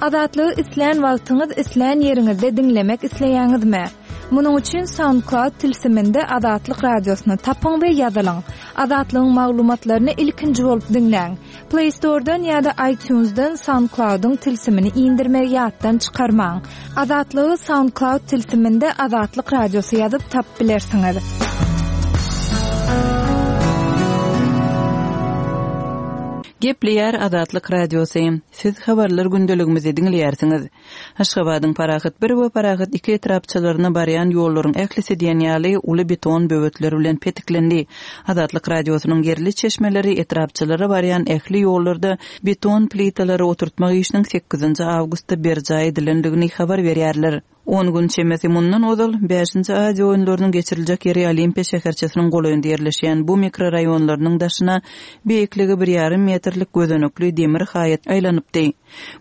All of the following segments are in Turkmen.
Azatlygy islän wagtyňyz, islän ýeriňizde diňlemek isleýäňizmi? Munuň üçin SoundCloud tilsiminde Azatlyk Radiosyny tapyň we ýazylyň. Azatlygyň maglumatlaryny ilkinji bolup diňläň. Play Store-dan ýa-da iTunes-dan SoundCloud-yň tilsimini indirmegi ýatdan çykarmaň. Azatlygy SoundCloud tilsiminde Azatlyk Radiosy ýazyp tapyp bilersiňiz. Gepleýär Azatlyk Radiosy. Siz habarlar gündeligimizi diňleýärsiňiz. Aşgabadyň Parahat bir we Parahat iki etrapçalaryna barýan ýollaryň ählisi diýen ýaly uly beton böwetler bilen petiklendi. Azatlyk Radiosynyň ýerli çeşmeleri etrapçalara barýan ähli ýollarda beton plitalary oturtmak işiniň sekizinji awgustda berjaý edilendigini habar berýärler. On gün çemesi mundan ozal, Bäşinji Aziýa oýunlarynyň geçiriljek ýeri Olimpiýa şäherçesiniň golaýynda ýerleşýän bu mikroraýonlarynyň daşyna beýikligi bir ýarym metrlik gözenekli demir haýat aýlanypdy.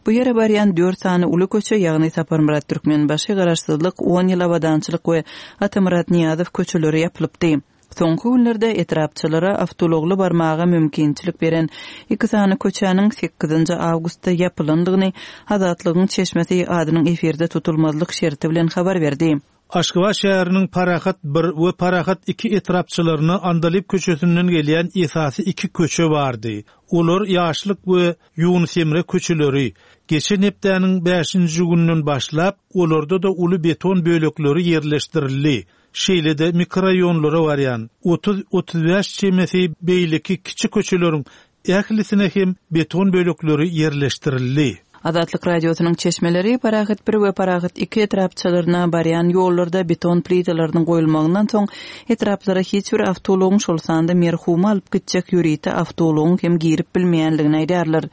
Bu ýere barýan dört sany uly köçe, ýagny Saparmyrat Türkmenbaşy, Garaşsyzlyk, On ýyl abadançylyk we Atamyrat Nyýazow köçeleri ýapylypdy. Soňky günlerde etrapçalara awtoulagly barmaga mümkinçilik beren iki sany köçäniň sekizinji awgustda ýapylandygyny Azatlygyň çeşmesi adynyň efirde tutulmazlyk şerti bilen habar berdi. Aşgabat şäheriniň Parahat bir we Parahat iki etrapçalaryna Andalyp köçesinden gelýän esasy iki köçe bardy. Olar Ýaşlyk we Ýunus Emre köçeleri. Geçen hepdäniň bäşinji gününden başlap, olarda-da uly beton bölekleri ýerleşdirildi. Şeýle-de mikroraýonlara barýan 30-35 çemesi beýleki kiçi köçeleriň ählisine hem beton bölekleri ýerleşdirildi. Azatlyk Radiosynyň çeşmeleri Parahat bir we Parahat iki etrapçalaryna barýan ýollarda beton plitalarynyň goýulmagyndan soň etraplara hiç bir awtoulagyň, şol sanda merhumy alyp gitjek ýörite awtoulagyň hem girip bilmeýändigini aýdýarlar.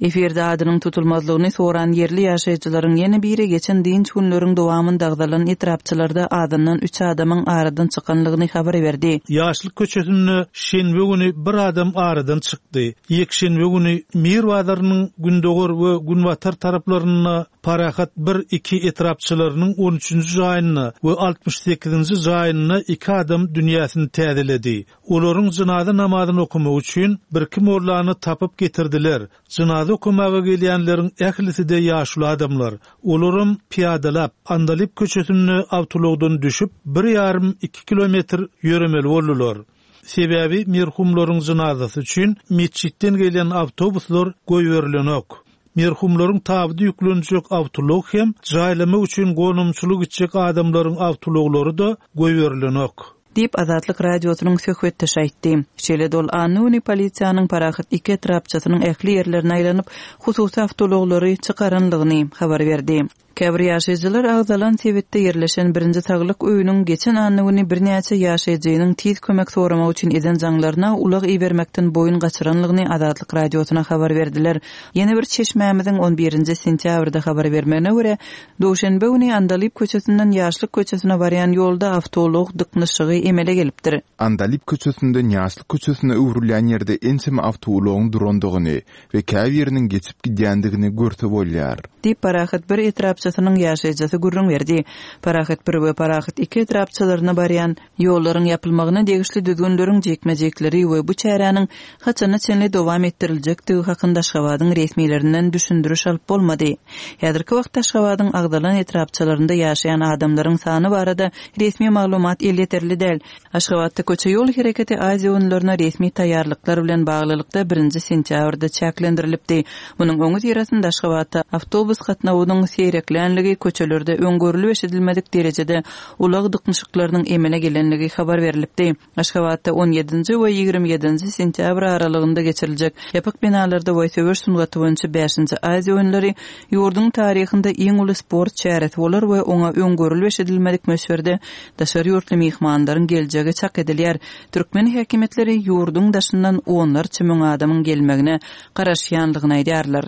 Efirde adynyň tutulmazlygyny soran ýerli ýaşaýjylaryň ýene biri geçen dynç günleriň dowamynda agzalan etrapçalarda azyndan üç adamyň aradan çykanlygyny habar berdi. Ýaşlyk köçesinde şenbe güni bir adam aradan çykdy. Ýekşenbe güni Mir bazarynyň gündogar we günbatar taraplarynda Parahat bir, iki etrapçalarynyň on üçünji jaýynda we 68-nji jaýynda iki adam dünýäsini täzeledi. Olaryň jynaza namazyny okamak üçin birki mollany tapyp getirdiler. Jynaza okamaga gelýänleriň ählisi-de ýaşuly adamlar. Olaram pyýadalap, Andalyp köçesinde awtoulagdan düşüp, bir ýarym, iki kilometr ýöremeli boldular. Sebäbi merhumlaryň jynazasy üçin metjitden gelýän awtobuslar goýberilenok. Merhumlaryň tabydy ýüklenjek awtoulag hem, jaýlamak üçin gonamçylyk gitjek adamlaryň awtoulaglary-da goýberilenok. Diýip, Azatlyk Radiosynyň söhbetdeşi aýtdy. Şeýle-de ol anna güni polisiýanyň Parahat iki etrapçasynyň ähli ýerlerine aýlanyp, hususy awtoulaglary çykaranlygyny habar berdi. Käbir ýaşaýjylar agzalan sebitde ýerleşen birinji saglyk öýüniň geçen anna güni birnäçe ýaşaýjynyň tiz kömek soramak üçin eden jaňlaryna ulag ibermekden boýun gaçyranlygyny Azatlyk Radiosyna habar berdiler. Ýene bir çeşmämiziň on birinji sentýabrda habar bermegine görä, duşenbe güni Andalyp köçesinden Ýaşlyk köçesine barýan ýolda awtoulag dyknyşygy emele gelipdir. Andalyp köçesinden Ýaşlyk köçesine öwrülýän ýerde ençeme awtoulagyň durandygyny we käbiriniň geçip gidýändigini görse bolýar. Diýip, Parahat bir etrapçasynyň ýaşaýjysy gürrüň berdi. Parahat bir we Parahat iki etrapçalaryna barýan ýollaryň ýapylmagyna degişli düzgünleriň jikme-jikleri we bu çäräniň haçana çenli dowam etdiriljekdigi hakynda Aşgabadyň resmilerinden düşündiriş alyp bolmady. Häzirki wagtda Aşgabadyň agzalan etrapçalarynda ýaşaýan adamlaryň sany barada resmi maglumat elýeterli däl. Aşgabatda köçe-ýol hereketi Aziýa oýunlaryna resmi taýýarlyklar bilen baglylykda birinji sentýabrda çäklendirilipdi. Munuň öňüsyrasynda Aşgabatda awtobus gatnawynyň seýreklänligi, köçelerde öň görlüp-eşidilmedik derejede ulag dyknyşyklarynyň emele gelenligi habar berlipdi. Aşgabatda on ýedinji we 27 nji sentýabr aralygynda geçiriljek ýapyk binalarda we söweş sungaty boýunça bäşinji Aziýa oýunlary ýurduň taryhynda iň uly sport çäresi bolar we oňa öň görlüp-eşidilmedik möçberde daşary ýurtly myhmanlaryň geljegi çak edilýär. Türkmen häkimiýetleri ýurduň daşyndan onlarça müň adamyň gelmegine garaşýandygyny aýdýarlar.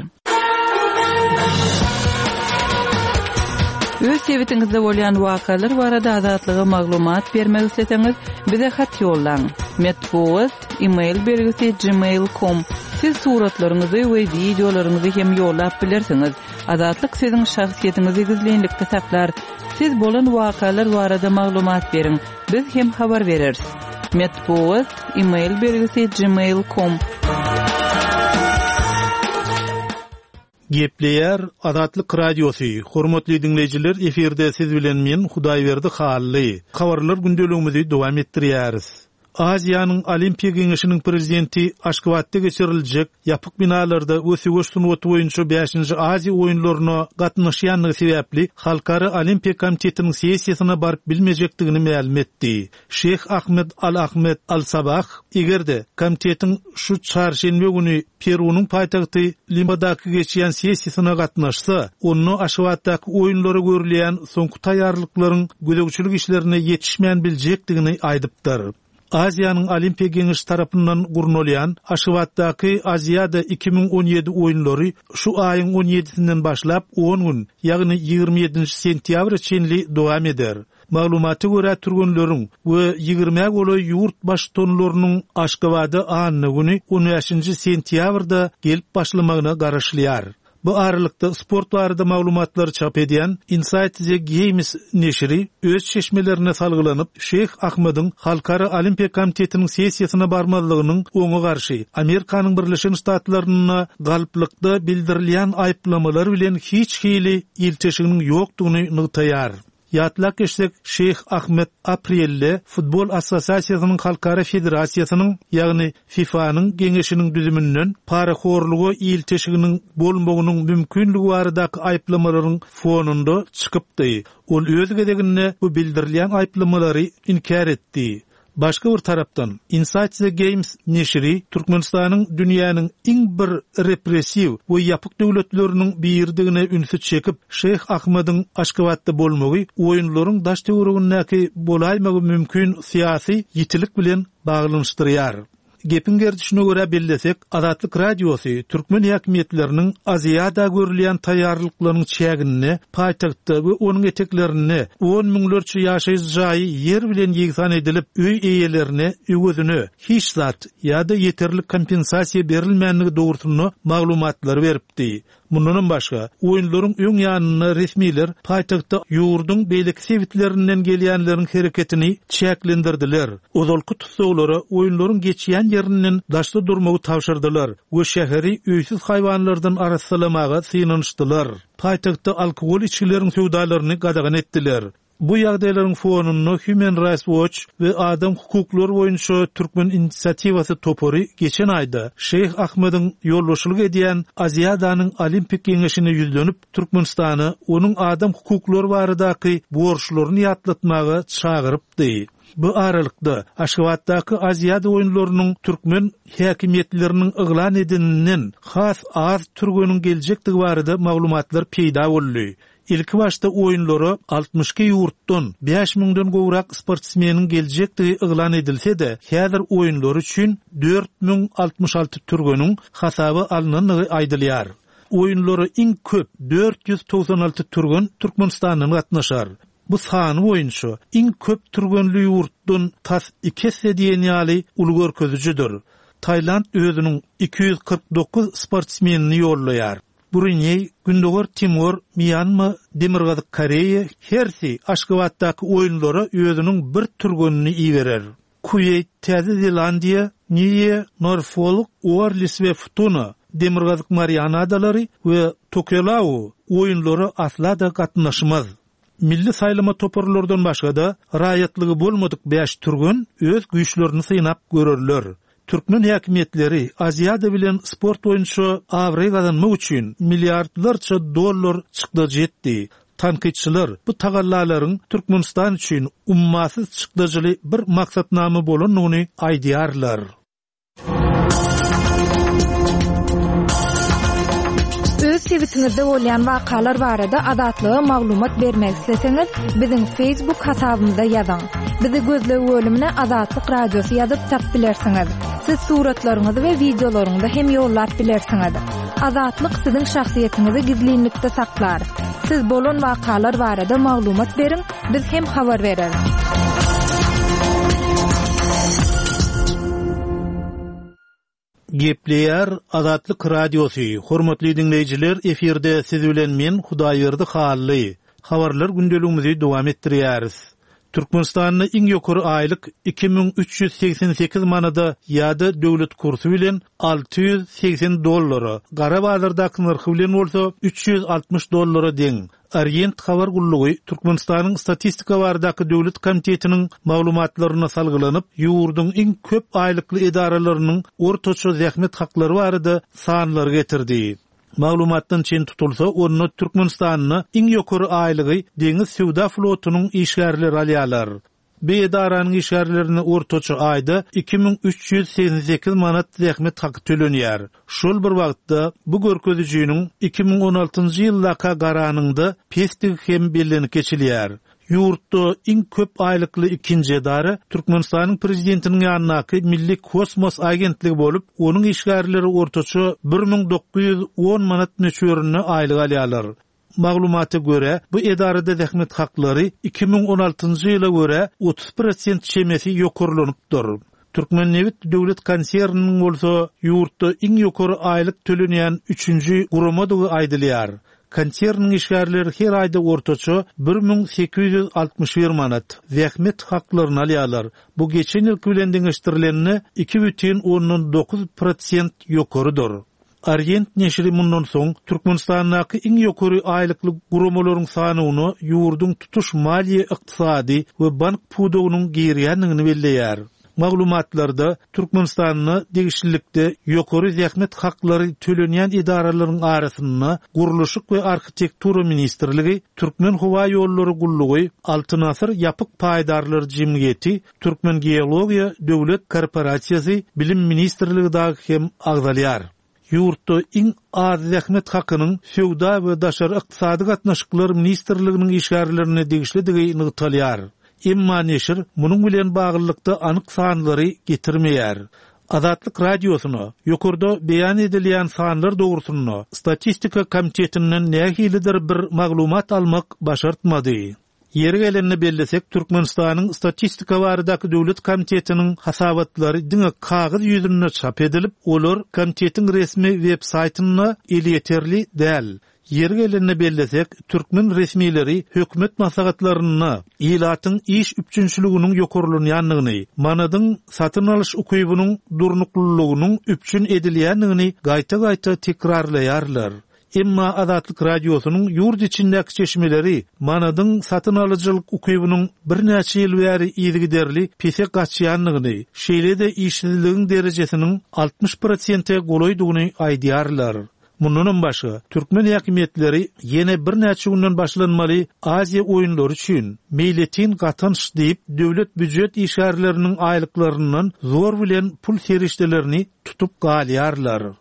Öz sebitiňizde bolýan wakalar barada Azatlyga maglumat bermek isleseňiz, bize hat ýollaň. Metbugat, e-mail belgisi gmail com. Siz suratlaryňyzy we wideolaryňyzy hem ýollap bilersiňiz. Azatlyk siziň şahsyýetiňizi gizlinlikde saklar. Siz bolan wakalar barada maglumat beriň, biz hem habar bereris. Metbugat, e-mail belgisi gmail com. Gepleýär Azatlyk Radiosy, Hormatly diňleýjiler efirde siz bilen men Hudaýberdi Hally. Habarlar gündeligimizi dowam etdirýäris. Aziýanyň Olimpiýa Geňeşiniň prezidenti Aşgabatda geçiriljek ýapyk binalarda we söweş sungaty boýunça bäşinji Aziýa oýunlaryna gatnaşýandygy sebäpli Halkara Olimpiýa komitetiniň sessiýasyna baryp bilmejekdigini mälim etdi. Şeýh Ahmed Al-Ahmed Al-Sabah, eger-de, komitetiň şu çarşenbe güni Perunyň paýtagty Limadaky geçýän sessiýasyna gatnaşsa, onda Aşgabatdaky oýunlara görülýän soňky taýýarlyklaryň gözegçilik işlerine ýetişmän biljekdigini aýdypdyr. Aziýanyň Olimpiýa Geňeşi tarapyndan gurnalýan Aşgabatdaky Aziada 2017 oýunlary şu aýyň on ýedisinden başlap on gün, ýagny 27-nji sentýabra çenli dowam eder. Maglumata görä, türgenleriň we ýigrimä golaý ýurt baştutanlarynyň Aşgabada anna güni, on bäşinji sentýabrda gelip başlamagyna garaşylýar. Bu aralykda, sport barada maglumatlary çap edýän Inside the Games neşiri öz çeşmelerine salgylanyp, Şeýh Ahmediň Halkara Olimpiýa komitetiniň sessiýasyna barmazlygynyň oňa garşy Amerikanyň Birleşen Ştatlarynda galplykda bildirilýän aýyplamalar bilen hiç hili ilteşiginiň ýokdugyny nygtaýar. Ýatlap geçsek, Şeýh Ahmed aprelde Futbol assosiasiýasynyň halkara federasiýasynyň, ýagny FIFA-nyň geňeşiniň düzüminden parahorluga ilteşiginiň bolmagynyň mümkinligi baradaky aýyplamalaryň fonunda çykypdy. Ol öz gezeginde bu bildirilýän aýyplamalary inkär etdi. Başga bir tarapdan, Inside the Games neşiri Türkmenistanyň dünýäniň iň bir repressiw we ýapyk döwletleriniň biridigine ünsi çekip, Şeýh Ahmediň Aşgabatda bolmagy oýunlaryň daş-töweregindäki bolaýmagy mümkin syýasy ýitilik bilen baglanyşdyrýar. Gepiň gerdişine görä bellesek, Azatlyk Radiosy türkmen häkimiýetleriniň Aziada görülýän taýýarlyklaryň çäginde paýtagtda we onuň eteklerinde on müňlerçe ýaşaýyş jaýy ýer bilen ýegsan edilip, öý eýelerine öwezine hiç zat ýa-da ýeterlik kompensasiýa berilmändigi dogrusynda maglumatlary beripdi. Mundanam başga, oýunlaryň öň ýanynda resmiler paýtagtda ýurduň beýleki sebitlerinden gelýänleriň hereketini çäklendirdiler, ozalky tussaglara oýunlaryň geçýän ýerinden daşda durmagy tabşyrdylar we şäheri öýsüz haýwanlardan arassalamaga synanyşdylar. Paýtagtda alkogol içgileriň söwdalaryny gadagan etdiler. Bu ýagdaýlaryň fonunda Human Rights Watch we Adam hukuklary boýunça Türkmen inisiatiwasy topary geçen aýda Şeýh Ahmediň ýolbaşçylyk edýän Aziadanyň Olimpik geňeşine ýüzlenip, Türkmenistana onuň adam hukuklary baradaky borçlaryny ýatlatmaga çagyrypdy. Bu aralykda, Aşgabatdaky Aziada oýunlarynyň türkmen häkimiýetleriniň yglan edeninden has az türgeniň geljekdigi barada maglumatlar peýda boldy. Ilkibaşda oýunlara 62 ýurtdan bäş müňden gowrak sportsmeniň geljekdigi yglan edilse-de, häzir oýunlar üçin 4066 türgeniň hasaba alnandygy aýdylýar. Oýunlara iň köp 496 türgen Türkmenistandan gatnaşar. Bu sany boýunça iň köp türgenli ýurtdan tas iki esse diýen ýaly uly görkezijidir. Tailand özüniň 249 sportsmenini ýollaýar. Bruneý, Gündogar Timor, Mýanma, Demirgazyk Koreýa hersi Aşgabatdaky oýunlara özüniň bir türgenini iberer. Kuweýt, Täze Zelandiýa, Niýe, Norfolk, Uorlis we Futuna, Demirgazyk Mariana adalary we Tokelau oýunlara asla-da gatnaşmaz. Milli saýlama toparlardan başga-da, raýatlygy bolmadyk bäş türgen öz güýçlerini synap görerler. Türkmen häkimiýetleri Aziada bilen sport boýunça abraý gazanmak üçin milliardlarça dollar çykdajy etdi. Tankytçylar bu tagallalaryň Türkmenistan üçin ummasyz çykdajyly bir maksatnama bolandygyny aýdýarlar. Öz sebitiňizde bolýan wakalar barada Azatlyga maglumat bermek isleseňiz, biziň Facebook hasabymyza ýazyň. Bizi gözleg bölümine Azatlyk Radiosy ýazyp tap bilersiňiz. Siz suratlaryňyzy we wideolaryňyzy hem ýollap bilersiňiz. Azatlyk siziň şahsyýetiňizi gizlinlikde saklar. Siz bolan wakalar barada maglumat beriň, biz hem habar bereris. Gepleýär Azatlyk Radiosy, Hormatly diňleýjiler, efirde siz bilen men Hudaýberdi Hally. Habarlar gündeligimizi dowam etdirýäris. Türkmenistanda iň ýokary aýlyk 2388 manada ýa-da döwlet kursy bilen 680 dollara, gara bazardaky nyrhy bilen bolsa 360 dollara deň. Orient habar gullugy Türkmenistanyň Statistika baradaky döwlet komitetiniň maglumatlaryna salgylanyp, ýurduň iň köp aýlykly edaralarynyň ortaça zähmet haklary barada sanlary getirdi. Maglumatdan çen tutulsa, onda Türkmenistanda iň ýokary aýlygy deňiz söwda flotunyň işgärleri alýarlar. Bu edaranyň işgärlerine ortaça aýda 2388 manat zähmet haky tölenýär. Şol bir wagtda, bu görkezijiniň 2016-njy ýyldaka garanyňda pesdigi hem bellenip geçilýär. Ýurtda iň köp aýlykly ikinji edara Türkmenistanyň Prezidentiniň ýanyndaky Milli kosmos agentligi bolup, onuň işgärleri ortaça 1910 manat möçberinde aýlyk alýarlar. Maglumata görä, bu edarada zähmet haklary 2016-njy ýyla görä 30 prosent çemesi ýokarlanypdyr. Türkmennebit döwlet konserniniň bolsa ýurtda iň ýokary aýlyk tölenýän üçünji guramadygy aýdylýar. Konserniň işgärleri her aýda ortaça 1861 manat zähmet haklaryny alýarlar. Bu geçen ýylky bilen deňeşdirilende 2,9 prosent ýokarydyr. Orient neşiri mundan soň Türkmenistandaky iň ýokary aýlykly guramalaryň sanawyna ýurduň tutuş maliýe-ykdysady we bank pudagynyň girýändigini belleýär. Maglumatlarda Türkmenistanda degişlilikde ýokary zähmet haklary tölenýän edaralaryň arasynda Gurluşyk we arhitektura ministrligi, Türkmenhowaýollary gullugy, Altyn asyr ýapyk paýdarlar jemgyýeti, Türkmengeologiýa döwlet korporasiýasy, Bilim ministrligi dagy hem agzalýar. Ýurtda iň az zähmet hakynyň Söwda we daşary ykdysady gatnaşyklar ministrliginiň işgärlerine degişlidigi nygtalýar. Emma neşir munuň bilen baglylykda anyk sanlary getirmeýär. Azatlyk Radiosyna ýokarda beýan edilýän sanlar dogrusynda Statistika komitetinden nähilidir bir maglumat almak başartmady. Ýeri gelende bellesek, Türkmenistanyň Statistika baradaky döwlet komitetiniň hasabatlary diňe kagyz ýüzünde çap edilip, olar komitetiň resmi web saýtynda elýeterli däl. Ýeri gelende bellesek, türkmen resmileri hökümet maslahatlarynda ilatyň iş üpjünçiliginiň ýokarlanýandygyny, manadyň satyn alyş ukybynyň durnuklylygynyň üpjün edilýändigini gaýta-gaýta tekrarlaýarlar. Emma Azatlyk Radiosynyň ýurt içindäki çeşmeleri manadyň satyn alyjylyk ukybynyň birnäçe ýyl bäri yzygiderli pese gaçýandygyny, şeýle-de işsizligiň derejesiniň 60 prosente golaýdygyny aýdýarlar. Mundanam başga, türkmen häkimiýetleri ýene birnäçe günden başlanmaly Aziýa oýunlary üçin meýletin gatanç diýip, döwlet býujet işgärleriniň aýlyklaryndan zor bilen pul serişdelerini tutup galýarlar.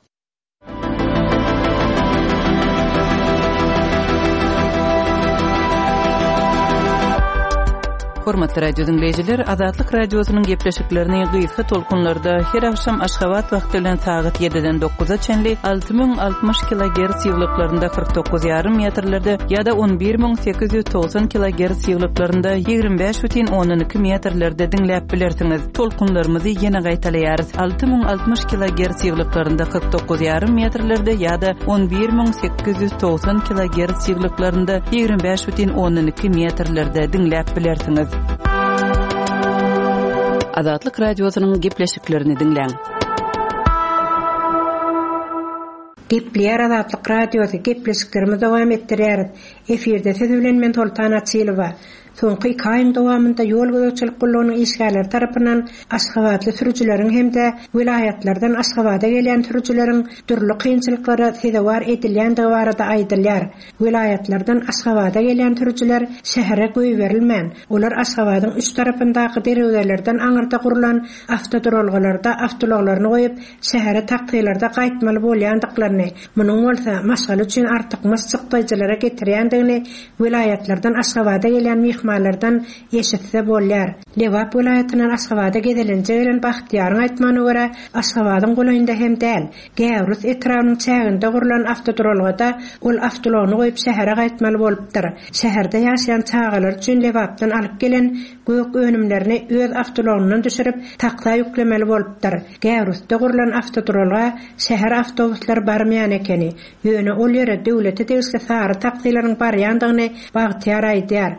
Hormatly radio diňleýjiler, Azatlyk Radiosynyň gepleşiklerini gysga tolkunlarda her agşam Aşgabat wagty bilen sagat 7-den 9-a çenli 6060 kilogerts ýyglyklarynda 49,5 metrlerde ýa-da 11890 kilogerts ýyglyklarynda 25,2 metrlerde diňläp bilersiňiz. Tolkunlarymyzy ýene gaýtalaýarys, 6060 kilogerts ýyglyklarynda 49 ýarym metrlerde ýa-da 11890 kilogerts ýyglyklarynda 25 bütin ondan iki metrlerde diňläp bilersiňiz. Azatlyk Radiosynyň gepleşiklerini diňläň. Gepleýär Azatlyk Radiosy, gepleşiklerimizi dowam etdirýäris. Efirde siz bilen men Soltan Açylowa. Soňky iki aýyň dowamynda ýol gözegçilik gullugynyň işgärleri tarapyndan aşgabatly sürüjileriň hem-de welaýatlardan Aşgabada gelýän sürüjileriň dürli kynçylyklara sezewar edilýändigi barada aýdylýar. Welaýatlardan Aşgabada gelýän sürüjiler şähere goýberilmän, olar Aşgabadyň üç tarapyndaky derwezelerden aňyrda gurlan awtoduralgalarda awtoulaglaryny goýup, şähere taksilerde gaýtmaly bolýandyklaryny, munuň bolsa maşgala üçin artykmaç çykdaýjylara getirýändigini Welaýatlardan Aşgabada gelýän myhmanlardan eşitse bolýar. Lebap welaýatyndan Aşgabada gezelenje gelen Bagtyýaryň aýtmagyna görä, Aşgabadyň golaýynda hem däl, Gäwrus etrabynyň çäginde gurlan awtoduralgada ol awtoulagyny goýup şähere gaýtmaly bolupdyr. Şäherde ýaşaýan çagalary üçin Lebapdan alyp gelen gök önümlerini öz awtoulagyndan düşürip, taksa ýüklemeli bolupdyr. Gäwrusda gurlan awtoduralga şäher awtobuslary barmaýan ekeni. Ýöne ol ýere döwlete degişli sary taksileriň barýandygyny Bagtyýar aýdýar.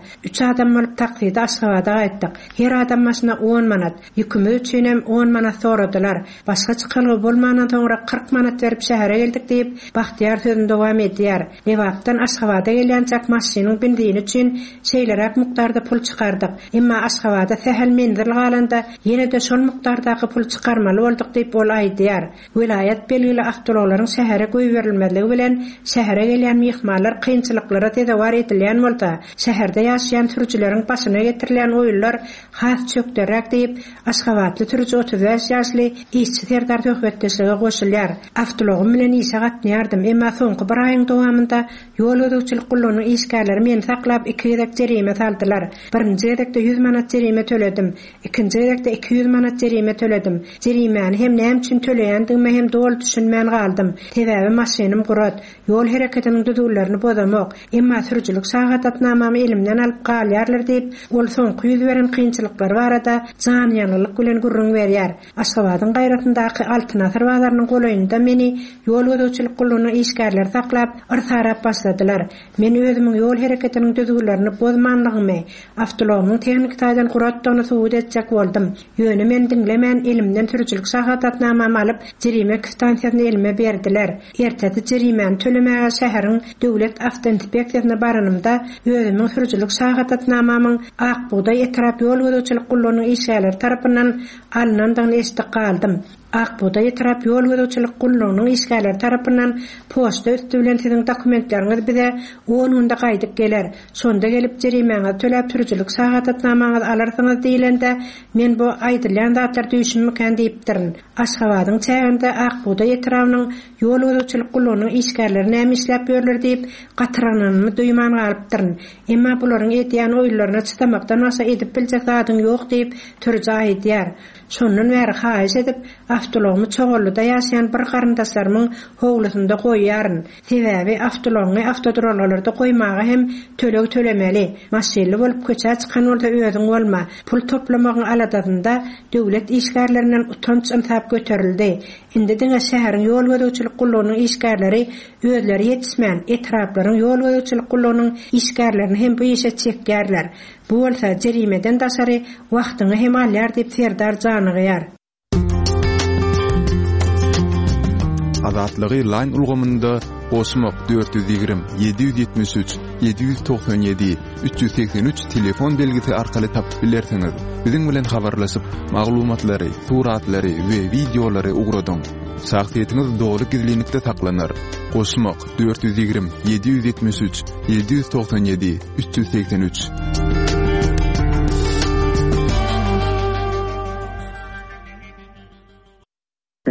adam bolup takside Aşgabada gaýtdyk. Her adam başyna on manat. Ýükümiz üçinem on manat soradylar. Başga çykalga bolmandan soňra 40 manat berip şähere geldik diýip, Bagtyýar sözüni dowam edýär. Lebapdan Aşgabada gelýänçäk maşynyň benzini üçin şeýleräk mukdarda pul çykardyk. Emma Aşgabada sähel menzil galanda ýene-de şol mukdardaky puly çykarmaly bolduk diýip, ol aýdýar. Welaýat belgili awtoulaglaryň şähere goýberilmezligi bilen şähere gelýän myhmanlar kynçylyklara sezewar edilýän bolsa, şäherde ýaşaýan sürüjileriň başyna getirilýän oýunlar has çökderräk diýip, aşgabatly sürüji 35 ýaşly Işçi Serdar söhbetdeşlige goşulýar. Awtoulagym bilen işe gatnaýardym, emma soňky bir aýyň dowamynda ýol gözegçilik gullugynyň işgärleri meni saklap iki gezek jerime saldylar. Birinji gezekde ýüz manat jerime töledim. Ikinji gezekde 200 manat jerime töledim. Jerimäni hem näme üçin töleýändigime hem doly düşünmän galdym. Sebäbi maşynym gurat, ýol hereketiniň düzgünlerini bozamok. Emma sürüjilik şahadatnamamy elimden alyp galýarlar diýip, ol soňky ýüz beren kynçylyklary barada janyýangynlyk bilen gürrüň berýär. Aşgabadyň gaýrasyndaky Altyn asyr bazarynyň golaýynda meni ýol gözegçilik gullugynyň işgärleri saklap, yrsarap başladylar. Men özümiň ýol hereketiniň düzgünlerini bozmanlygymy, awtoulagymyň tehniki taýdan guratdygyny subut etjek boldum. Ýöne meni diňlemän, elimden sürüjilik şahadatnamamy alyp, jerime kwitansiýasyny elime berdiler. Ertesi jerimäni tölemäge şäheriň döwlet awtoinspeksiýasyna baranymda, özümiň sürüjilik şahadatnamamyň Ak bugdaý etrap ýol gözegçilik gullugynyň işgärleri tarapyndan alnandygyny eşidip galdym. Ak bugdaý etrap ýol gözegçilik gullugynyň işgärleri tarapyndan poçta üsti bilen siziň dokumentleriňiz bize on günde gaýdyp geler. Şonda gelip jerimäňizi töläp sürüjilik şahadatnamaňyzy alarsyňyz diýlende, men bu aýdylýan zatlar düýşümmikän diýipdirin. Aşgabadyň çäginde Ak bugdaý etrabynyň ýol gözegçilik gullugynyň işgärleri näme işläp ýörler diýip, gatyrgananymy duýman galypdyryn. Emma bularyň edýän oýunlaryna çydamakdan başga edip biljek zadyň ýok diýip, sürüji aýdýar. Şondan bäri haýyş edip, awtoulagymy Çoganlyda ýaşaýan bir garyndaşlarymyň howlusynda goýýaryn. Sebäbi awtoulagyňy awtoduralgalarda goýmaga hem töleg tölemeli. Maşynly bolup köçä çykan bolsa özüň bolma. Pul toplamagyň aladasynda döwlet işgärlerinden utanç-ynsap göterildi. Indi diňe şäheriň ýol gözegçilik gullugynyň işgärleri özleri ýetişmän, etraplaryň ýol gözegçilik gullugynyň işgärlerini hem bu işe çekýärler. Bu bolsa jerimeden daşary wagtyňy hem alýar diýip Serdar janygýar. Azatlygy Line ulgamynda goşmak 420 773 797 383 telefon belgisi arkaly tapyp bilersiňiz. Biziň bilen habarlaşyp, maglumatlary, suratlary we wideolary ugradyň. Şahsyýetiňiz doly gizlinlikde saklanar. Goşmak 420 773 797 383.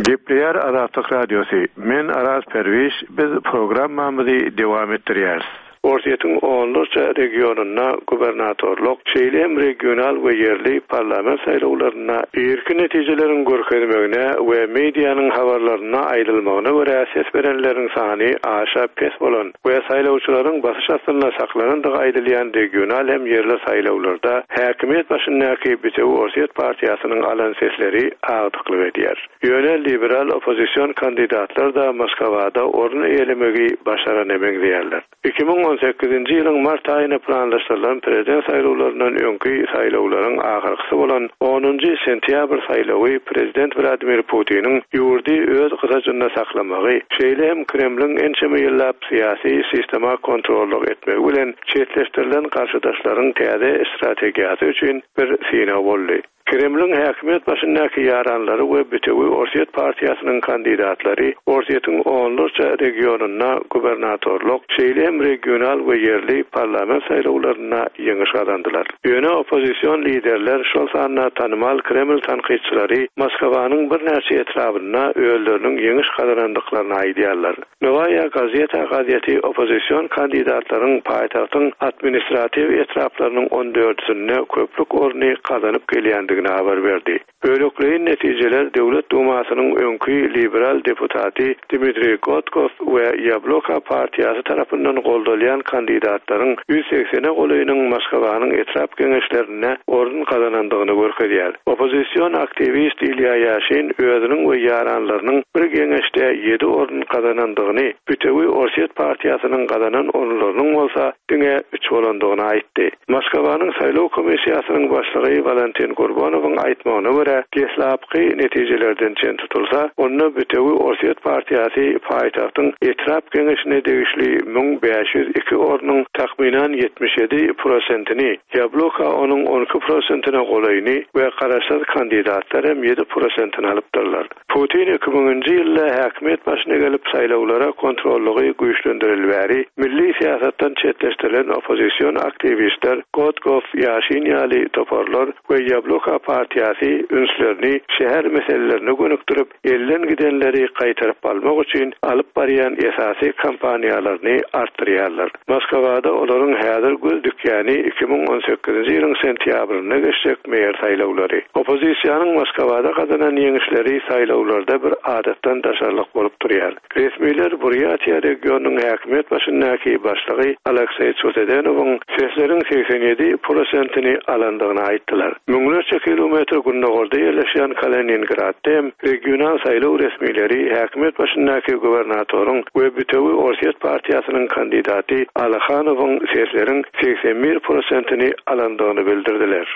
Gepleýär Azatlyk Radiosy, Men Araz Perwiş, biz programmamyzy dowam etdirýäris. Orsýetiň onlarça regionynda gubernatorlyk, şeýle hem regional we ýerli parlament saýlawlarynda irki netijeleriň görkezmegine we medianyň habarlarynda aýdylmagyna görä ses berenleriň sany aşa pes bolan we saýlawçylaryň basyş astynda saklanandygy aýdylýan regional hem ýerli saýlawlarda häkimiýet başyndaky Bitewi Orsýet partiýasynyň alan sesleri agdyklyk edýär. Ýöne liberal oppozision kandidatlar-da Moskawada orun eýelemegi başarana meňzeýärler. 2018-nji ýylyň mart aýyna planlaşdyrylan prezident saýlawlaryndan öňki saýlawlaryň ahyrkysy bolan onunjy sentýabr saýlawy prezident Wladimir Putiniň ýurdy öz gysajynda saklamagy, şeýle hem Kremliň ençeme ýyllap syýasy sistema kontrollyk etmegi bilen çetleşdirilen garşydaşlaryň täze strategiýasy üçin bir synag boldy. Kremliň häkimiýet başyndaky ýaranlary we Bitewi Orsýet partiýasynyň kandidatlary Orsýetiň onlarça regionynda gubernatorlyk, şeýle hem regional we ýerli parlament saýlawlarynda ýeňiş gazandylar. Ýöne oppozision liderler, şol sanda tanymal Kreml tankytçylary Moskwanyň birnäçe etrabynda özleriniň ýeňiş gazanandyklaryny aýdýarlar. Nowaýa gazeta gazeti oppozision kandidatlaryň paýtagtyň administratiw etraplarynyň on dördüsinde köplük orny gazanyp gelýändigini. geçýändigini habar berdi. Bölekleýin netijeler Döwlet Dumasynyň öňki liberal deputaty Dmitriý Gotkow we Ýabloko partiýasy tarapyndan goldalýan kandidatlaryň ýüz segsene golaýynyň Moskwanyň etrap geňeşlerinde orun gazanandygyny görkezýär. Oppozision aktiwist Ilýa Ýaşin özüniň we ýaranlarynyň bir geňeşde ýedi orun gazanandygyny, Bütewi Orsýet partiýasynyň gazanan orunlarynyň bolsa diňe üç bolandygyny aýtdy. Moskwanyň saýlaw komissiýasynyň başlygy Walentin Gurbonowyň aýtmagyna görä, deslapky netijelerden çen tutulsa, onda Bütewi Orsýet partiýasy paýtagtyň etrap geňeşine degişli 1502 ornuň takmynan 77 prosentini, Ýabloko onuň 12 prosentine golaýyny we garaşsyz kandidatlar hem ýedi prosentini alypdyrlar. Putin iki müňünji ýylda häkimiýet başyna gelip saýlawlara kontrollygy güýçlendireli bäri milli syýasatdan çetleşdirilen oppozision aktiwistler Gotkow, Ýaşin ýaly toparlar we Ýabloko partiýasy ünslerini şäher meselelerine gönükdirip, elden gidenleri gaýtaryp almak üçin alyp barýan esasy kampaniýalaryny artdyrýarlar. Moskwada olaryň häzir göz dikýäni 2018-nji ýylyň sentýabrynda geçjek meýer saýlawlary. Oppozisiýanyň Moskwada gazanan ýeňişleri saýlawlarda bir adatdan daşarylyk bolup durýar. Resmiler Burýatiýa regionynyň häkimiýet başyndaky başlygy Alekseý Çusedenowyň sesleriň 87 prosentini alandygyny aýtdylar. Müňlerçe kilometr gündogarda ýerleşýän Kaliningradda hem regional saýlaw resmileri häkimiýet başyndaky gubernatoryň we Bütewi Orsýet partiýasynyň kandidaty Alyhanowyň sesleriň 81 prosentini alandygyny bildirdiler.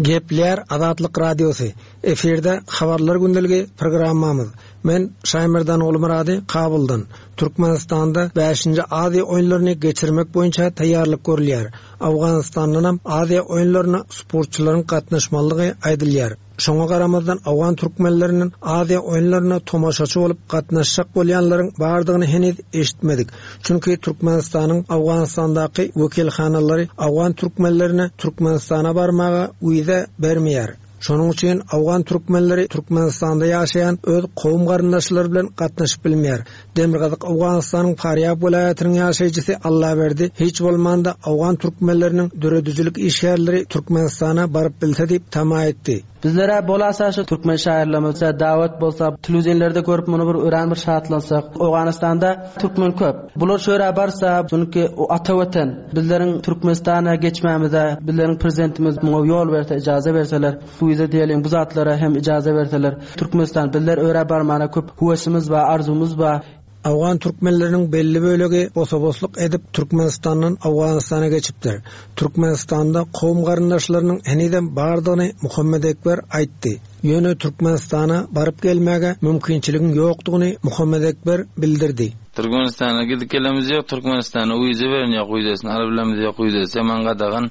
Gepleýär Azatlyk Radiosy, Efirde Habarlar gündeligi programmamyz. Men Şaýmerdan Gulmyrady Kabuldan. Türkmenistanda bäşinji Aziýa oýunlaryny geçirmek boýunça taýýarlyk görülýär. Owganystandanam Aziýa oýunlaryna sportçylaryň gatnaşmalydygy aýdylýar. Şoňa garamazdan owgan türkmenlerinden Aziýa oýunlaryna tomaşaçy bolup gatnaşjak bolýanlaryň bardygyny heniz eşitmedik. Çünki Türkmenistanyň Owganystandaky wekilhanalary owgan türkmenlerine Türkmenistana barmaga wiza bermeýär. Şonuň üçin owgan türkmenleri Türkmenistanda ýaşaýan öz kowum-garyndaşlary bilen gatnaşyp bilmeýär. Demirgazyk Owganystanyň Farýab welaýatynyň ýaşaýjysy Allaberdi hiç bolmanda owgan türkmenleriniň döredijilik işgärleri Türkmenistana baryp bilse diýip tama etdi. Bizlere bolasa şu türkmen şaýyrlarymyza dawet bolsa telewideniýelerde görüp muny bir örän bir şatlansak. Owganystanda türkmen köp. Bular şu ýere barsa çünki o ata watan bizleriň Türkmenistana geçmämize bizleriň prezidentimiz muňa ýol berse ijaza berseler wiza diýeliň bu zatlara hem ijaza berseler Türkmenistan bizler örä barmana köp höwesimiz bar arzuwymyz bar. Owgan türkmenleriniň belli bölegi bosa-bosluk edip Türkmenistandan Owganystana geçipdir. Türkmenistanda kowum-garyndaşlarynyň henizem bardygyny Muhammedekber aýtdy. Ýöne Türkmenistana baryp gelmäge mümkinçiligiň ýokdugyny Muhammedekber bildirdi. Türkmenistana gidip gelemiz ýok, Türkmenistana wiza beren ýok, wizasyny alyp bilemizok, wizasy ýaman gadagan.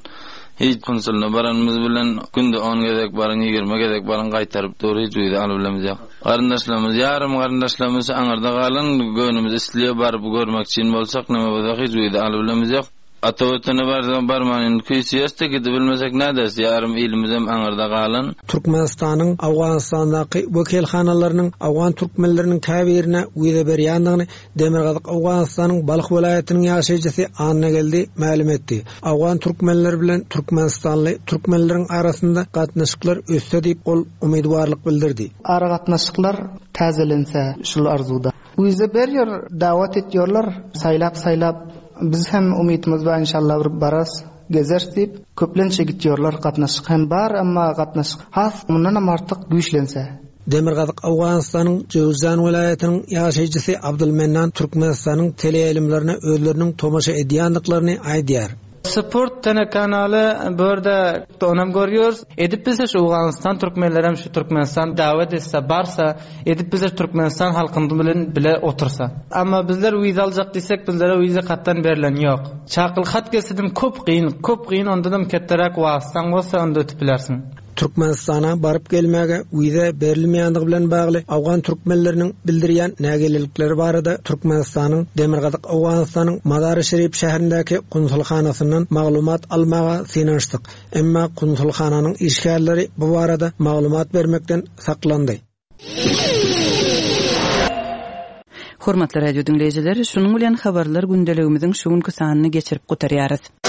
Hiç konsulyna baranymyz bilen günde on gezek baryň, ýigrimi gezek baryň gaýtaryp dur, hiç wiza alyp bilemizok. Garyndaşlarymyz, ýarym garyndaşlarymyz aňyrda galan, göwnümiz isleýär baryp görmek üçin bolsak, neme bolsak hiç wiza alyp bilemizok. Ata Watana barsak barman indi küýseýäs-de gidibilmesek näderis, ýarym ilimizem aňyrda galan. Türkmenistanyň Owganystandaky wekilhanalarynyň owgan türkmenleriniň käbirine wiza berýändigini Demirgazyk Owganystanyň Balh welaýatynyň ýaşaýjysy Annageldi mälim etdi. Owgan türkmenleri bilen türkmenistanly türkmenleriň arasynda gatnaşyklar össe diýip, ol umydybarlyk bildirdi. Aragatnaşyklar täzelense şul arzuwda. Wiza berýär, dawat etýärler, saýlap saýlap biz hem umytymyz bar inşallah bir bararys, gezeris diýip, köplenç gitýärler, gatnaşyk hem bar, emma gatnaşyk has mundanam artyk güýçlense. Demirgazyk Owganystanyň Jöwüzjan welaýatynyň ýaşaýjysy Abdulmennan Türkmenistanyň teleýaýlymlaryna özleriniň tomaşa edýändiklaryny aýdýar. Sport telekanaly bu ýerde onam görýäris. Edip bilse şu Owganystan türkmenlerem şu Türkmenistan dawet etse barsa edip bilse Türkmenistan halkyny bilen bile otursa. Amma bizler wiza aljak diýsek bizlere wiza katdan berlen ýok. Çakylyk hat gelsedim köp gyn köp gyn ondanam ketderäk wasytaň bolsa onda ötüp bilersiň. Türkmenistana baryp gelmäge wiza berilmeýändigi bilen bagly owgan türkmenleriniň bildirýän nägilelikleri barada Türkmenistanyň Demirgazyk Owganystanyň Mazary-Şerif şäherindäki konsulhanasyndan maglumat almaga synanyşdyk. Emma konsulhananyň işgärleri bu barada maglumat bermekden saklandy. Hormatly radio diňleýjiler, şunuň bilen habarlar gündeligimiziň şu günki sanyny geçirip gutarýarys.